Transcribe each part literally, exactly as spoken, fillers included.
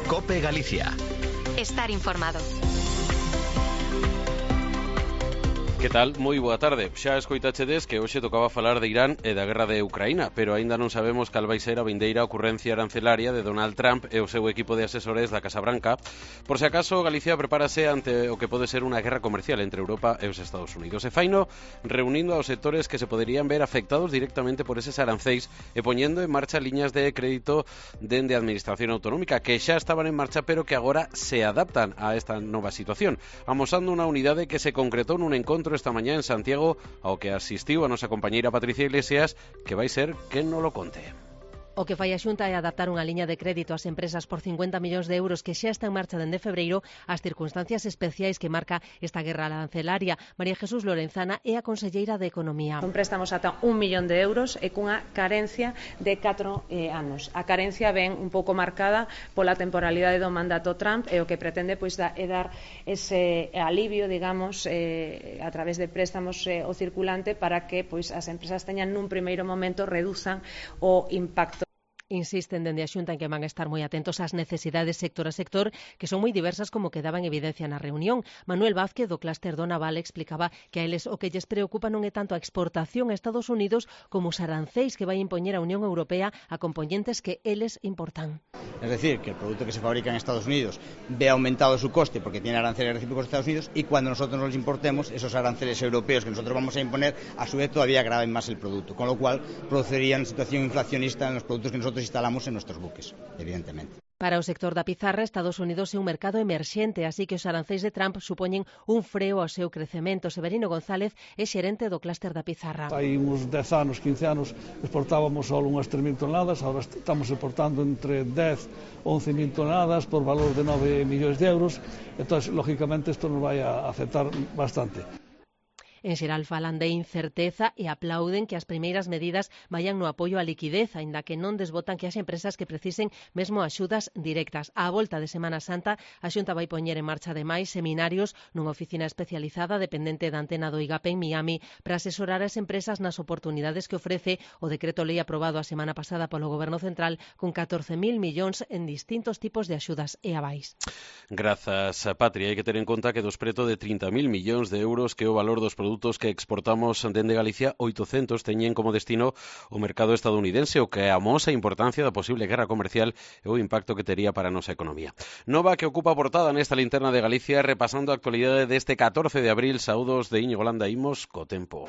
COPE Galicia. Estar informado. Que tal? Moi boa tarde. Xa escoitachedes que hoxe tocaba falar de Irán e da guerra de Ucraína, pero aínda non sabemos cal vai ser a vindeira ocurrencia arancelaria de Donald Trump e o seu equipo de asesores da Casa Branca. Por se acaso, Galicia prepárase ante o que pode ser unha guerra comercial entre Europa e os Estados Unidos. E faino reunindo aos sectores que se poderían ver afectados directamente por eses arancéis e poñendo en marcha liñas de crédito dende a Administración Autonómica que xa estaban en marcha pero que agora se adaptan a esta nova situación, amosando unha unidade que se concretou nun encontro esta mañá en Santiago ao que asistiu a nosa compañeira Patricia Iglesias, que vai ser quen non lo conte. O que fai a Xunta é adaptar unha liña de crédito ás empresas por cincuenta millóns de euros que xa está en marcha dende febreiro ás circunstancias especiais que marca esta guerra arancelaria. María Jesús Lorenzana é a conselleira de Economía. Son préstamos ata un millón de euros e cunha carencia de catro eh, anos. A carencia ven un pouco marcada pola temporalidade do mandato Trump e o que pretende pois da, é dar ese alivio, digamos, eh, a través de préstamos eh, o circulante para que pois as empresas teñan nun primeiro momento reduzan o impacto. Insisten dende a Xunta en que van a estar moi atentos ás necesidades sector a sector, que son moi diversas como quedaba en evidencia na reunión. Manuel Vázquez, do clúster do naval, explicaba que a eles o que lles preocupa non é tanto a exportación a Estados Unidos como os arancéis que vai impoñer a Unión Europea a componentes que eles importan. Es decir, que el producto que se fabrica en Estados Unidos ve aumentado su coste porque tiene aranceles recíprocos de Estados Unidos y cuando nosotros nos importemos, esos aranceles europeos que nosotros vamos a imponer, a su vez todavía agraven más el producto, con lo cual produciría una situación inflacionista en los productos que nosotros instalamos en nuestros buques, evidentemente. Para o sector da pizarra, Estados Unidos é un mercado emerxente, así que os arancéis de Trump supoñen un freo ao seu crecemento. Severino González é xerente do clúster da pizarra. Hai uns dez anos, quince anos, exportábamos só unhas tres mil toneladas, agora estamos exportando entre dez e once mil toneladas por valor de nove millóns de euros, entón, lógicamente, isto nos vai a afectar bastante. En xeral falan de incerteza e aplauden que as primeiras medidas vayan no apoio á liquidez, aínda que non desbotan que haxa empresas que precisen mesmo axudas directas. Á volta de Semana Santa, a Xunta vai poñer en marcha ademais seminarios nunha oficina especializada dependente da antena do I G A P en Miami para asesorar as empresas nas oportunidades que ofrece o decreto lei aprobado a semana pasada polo Goberno Central con catorce mil millóns en distintos tipos de axudas e avais. Grazas, Patria. Hai que ter en conta que dos preto de trinta mil millóns de euros que é o valor dos produtos que exportamos dende Galicia, oitocentos teñen como destino o mercado estadounidense, o que amosa a importancia da posible guerra comercial e o impacto que tería para a nosa economía. Nova que ocupa a portada nesta linterna de Galicia, repasando a actualidade deste catorce de abril. Saúdos de Íñigo Landa, imos co tempo.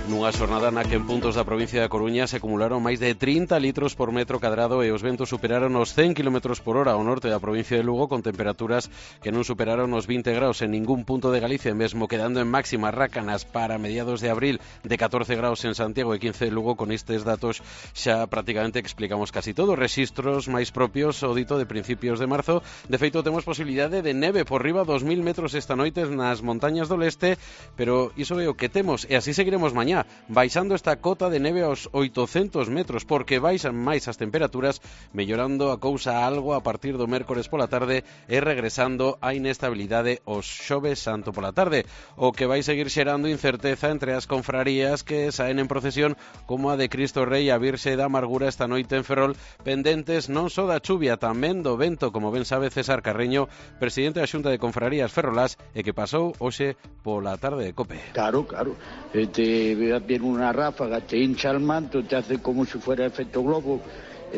Nunha xornada na que en puntos da provincia da Coruña se acumularon máis de trinta litros por metro cadrado e os ventos superaron os cen kilómetros por hora ao norte da provincia de Lugo, con temperaturas que non superaron os vinte graus en ningún punto de Galicia, mesmo quedando en máximas rácanas para mediados de abril de catorce graus en Santiago e quince de Lugo. Con estes datos xa prácticamente explicamos casi todo. Rexistros máis propios o dito de principios de marzo. De feito, temos posibilidade de neve por riba dos mil metros esta noite nas montañas do leste, pero iso é o que temos e así seguiremos mañá, baixando esta cota de neve aos oitocentos metros, porque baixan máis as temperaturas, mellorando a cousa algo a partir do mércores pola tarde e regresando a inestabilidade os xoves santo pola tarde, o que vai seguir xerando incerteza entre as confrarías que saen en procesión como a de Cristo Rei a Virxe da Amargura esta noite en Ferrol, pendentes non só da chuvia, tamén do vento, como ben sabe César Carreño, presidente da Xunta de Confrarías Ferrolás, e que pasou hoxe pola tarde de COPE. Claro, claro, este viene una ráfaga, te hincha el manto, te hace como si fuera efecto globo,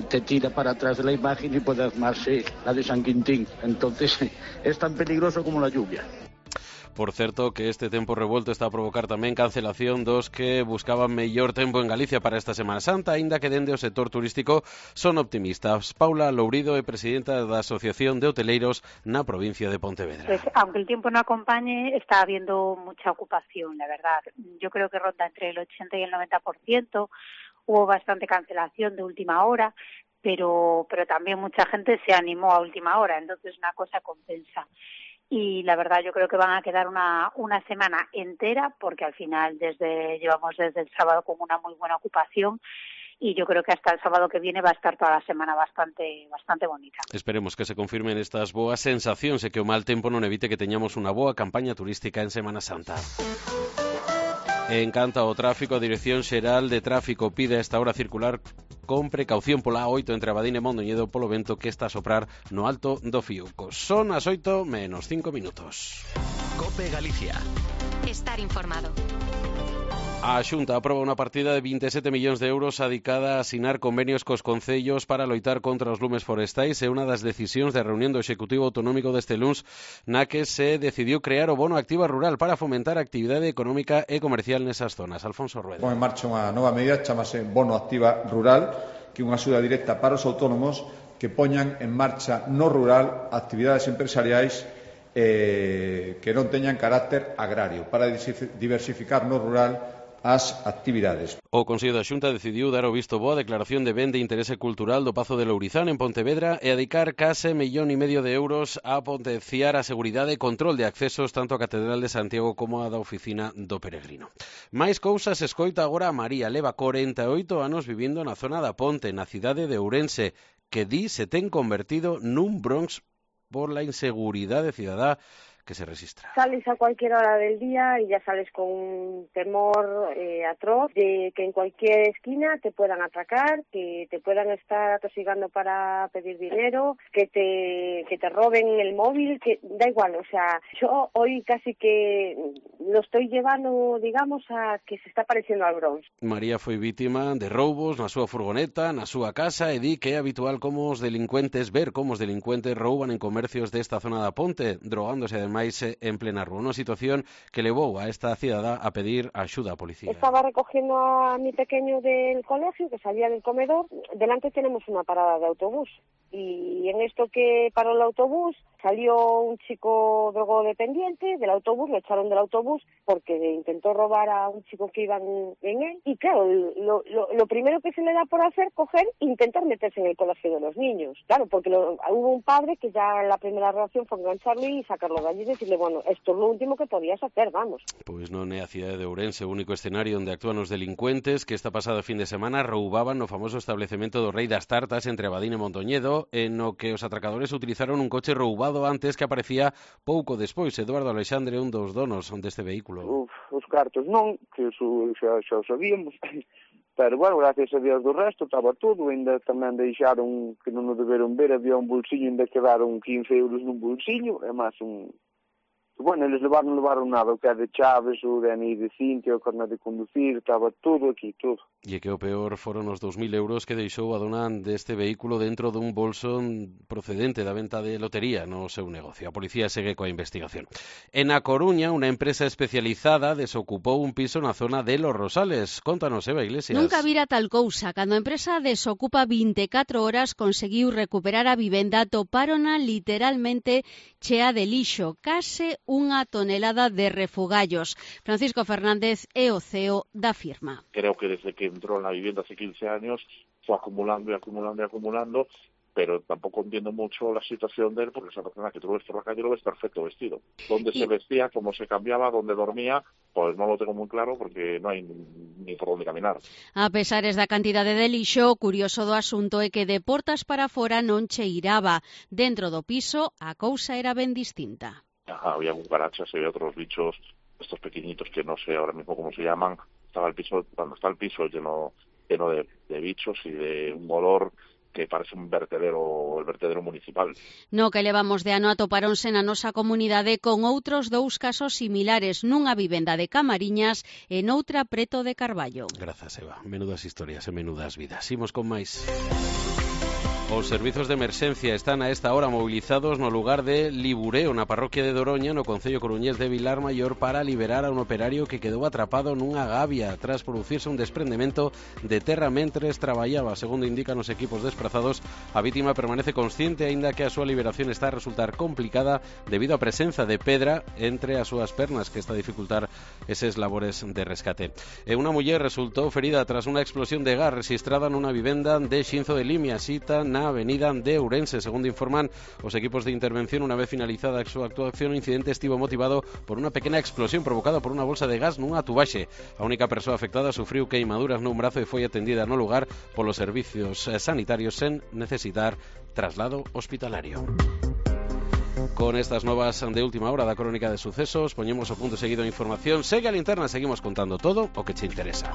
te tira para atrás de la imagen y puede armarse la de San Quintín. Entonces es tan peligroso como la lluvia. Por certo, que este tempo revolto está a provocar tamén cancelación dos que buscaban mellor tempo en Galicia para esta Semana Santa, aínda que dende o sector turístico son optimistas. Paula Lourido é presidenta da Asociación de Hoteleiros na provincia de Pontevedra. Pues, aunque el tiempo no acompañe, está habiendo mucha ocupación, la verdad. Yo creo que ronda entre el ochenta y el noventa por ciento. Hubo bastante cancelación de última hora, pero, pero también mucha gente se animó a última hora, entonces una cosa compensa. Y la verdad yo creo que van a quedar una, una semana entera, porque al final desde llevamos desde el sábado con una muy buena ocupación y yo creo que hasta el sábado que viene va a estar toda la semana bastante bastante bonita. Esperemos que se confirmen estas boas sensacións e que o mal tempo non evite que teñamos unha boa campaña turística en Semana Santa. En canto ao tráfico, a Dirección Xeral de Tráfico pide a esta hora circular con precaución pola A oito entre Abadín e Mondoñedo polo vento que está a soprar no alto do Fiuco. Son as oito menos cinco minutos. COPE Galicia. Estar informado. A Xunta aproba unha partida de vinte e sete millóns de euros adicada a asinar convenios cos concellos para loitar contra os lumes forestais e unha das decisións da reunión do Executivo Autonómico deste luns na que se decidiu crear o bono Activa Rural para fomentar a actividade económica e comercial nesas zonas. Alfonso Rueda. Pon en marcha unha nova medida, chamase Bono Activa Rural, que é unha axuda directa para os autónomos que poñan en marcha no rural actividades empresariais eh, que non teñan carácter agrario, para diversificar no rural as actividades. O Consello da Xunta decidiu dar o visto bo á declaración de ben de interese cultural do Pazo de Lourizán en Pontevedra e adicar case millón e medio de euros a potenciar a seguridade e control de accesos tanto á Catedral de Santiago como á da Oficina do Peregrino. Mais cousas escoita agora a María, leva corenta e oito anos vivindo na zona da Ponte, na cidade de Ourense, que di se ten convertido nun Bronx por la inseguridade cidadá que se registra. Sales a cualquier hora del día y ya sales con un temor eh, atroz de que en cualquier esquina te puedan atracar, que te puedan estar atosigando para pedir dinero, que te que te roben el móvil, que da igual, o sea, yo hoy casi que lo estoy llevando, digamos, a que se está pareciendo al Bronx. María foi vítima de roubos na súa furgoneta, na súa casa e di que é habitual como os delincuentes ver como os delincuentes rouban en comercios desta zona da Ponte, drogándose ademais máis en plena rúa, unha situación que levou a esta cidadá a pedir axuda á policía. Estaba recogiendo a mi pequeño del colegio, que salía del comedor. Delante tenemos una parada de autobús y en esto que paró el autobús salió un chico drogodependiente del autobús, lo echaron del autobús porque intentó robar a un chico que iba en, en él y claro, lo, lo, lo primero que se le da por hacer, coger e intentar meterse en el colegio de los niños. Claro, porque lo, hubo un padre que ya la primera reacción fue engancharlo y sacarlo de allí y decirle, bueno, esto es lo último que podías hacer, vamos. Pois non é a cidade de Ourense o único escenario onde actúan os delincuentes que esta pasada fin de semana roubaban no famoso establecemento do Rei das Tartas entre Abadín e Mondoñedo, en no que os atracadores utilizaron un coche roubado antes que aparecía pouco despois. Eduardo Alexandre, un dos donos deste vehículo. Uf, os cartos non, que eso xa, xa o sabíamos, pero bueno, gracias a Dios do resto estaba todo, ainda tamén deixaron que non o deberon ver, había un bolsillo, ainda quedaron quince euros nun bolsillo, é máis un... Bueno, eles levaron, levaron nada, o que é de chaves, o D N I de Cintia, o carnet de conducir, estaba todo aquí, todo. E que o peor foron os dos mil euros que deixou a dona deste vehículo dentro dun bolso procedente da venta de lotería no seu negocio. A policía segue coa investigación. En A Coruña, unha empresa especializada desocupou un piso na zona de Los Rosales. Contanos, Eva Iglesias. Nunca vira tal cousa. Cando a empresa desocupa vinte e catro horas, conseguiu recuperar a vivenda, topárona literalmente chea de lixo, case unha tonelada de refugallos. Francisco Fernández é o C E O da firma. Creo que desde que entró en la vivienda hace quince años fue acumulando y acumulando y acumulando, pero tampoco entiendo mucho la situación de él, porque esa persona que tú lo ves por la calle lo ves perfecto vestido. Dónde y... se vestía, cómo se cambiaba, dónde dormía, pues no lo tengo muy claro porque no hai ni por dónde caminar. A pesares da cantidade de lixo, curioso do asunto é que de portas para fora non cheiraba. Dentro do piso, a cousa era ben distinta. Ajá, había cucarachas y había otros bichos, estos pequeñitos que no sé ahora mismo cómo se llaman. Estaba el piso, cuando está el piso lleno, lleno de, de bichos y de un olor que parece un vertedero, el vertedero municipal. No que levamos de ano atoparonse na nosa comunidade con outros dous casos similares, nunha vivenda de Camariñas e noutra preto de Carballo. Grazas, Eva. Menudas historias e menudas vidas. Imos con máis. Os servizos de emerxencia están a esta hora mobilizados no lugar de Libureo, na parroquia de Doroña, no concello coruñés de Vilar Maior, para liberar a un operario que quedou atrapado nunha gavia tras producirse un desprendemento de terra mentres traballaba. Segundo indican os equipos desprazados, a vítima permanece consciente, aínda que a súa liberación está a resultar complicada debido á presenza de pedra entre as súas pernas, que está a dificultar eses labores de rescate. E unha muller resultou ferida tras unha explosión de gas registrada nunha vivenda de Xinzo de Limia, cita na avenida de Ourense. Segundo informan os equipos de intervención, unha vez finalizada a súa actuación, o incidente estivo motivado por unha pequena explosión provocada por unha bolsa de gas nunha tubaxe. A única persoa afectada sufriu queimaduras nun brazo e foi atendida no lugar polos servicios sanitarios sen necesitar traslado hospitalario. Con estas novas de última hora da Crónica de Sucesos, poñemos o punto seguido a información. Segue a linterna, seguimos contando todo o que che interesa.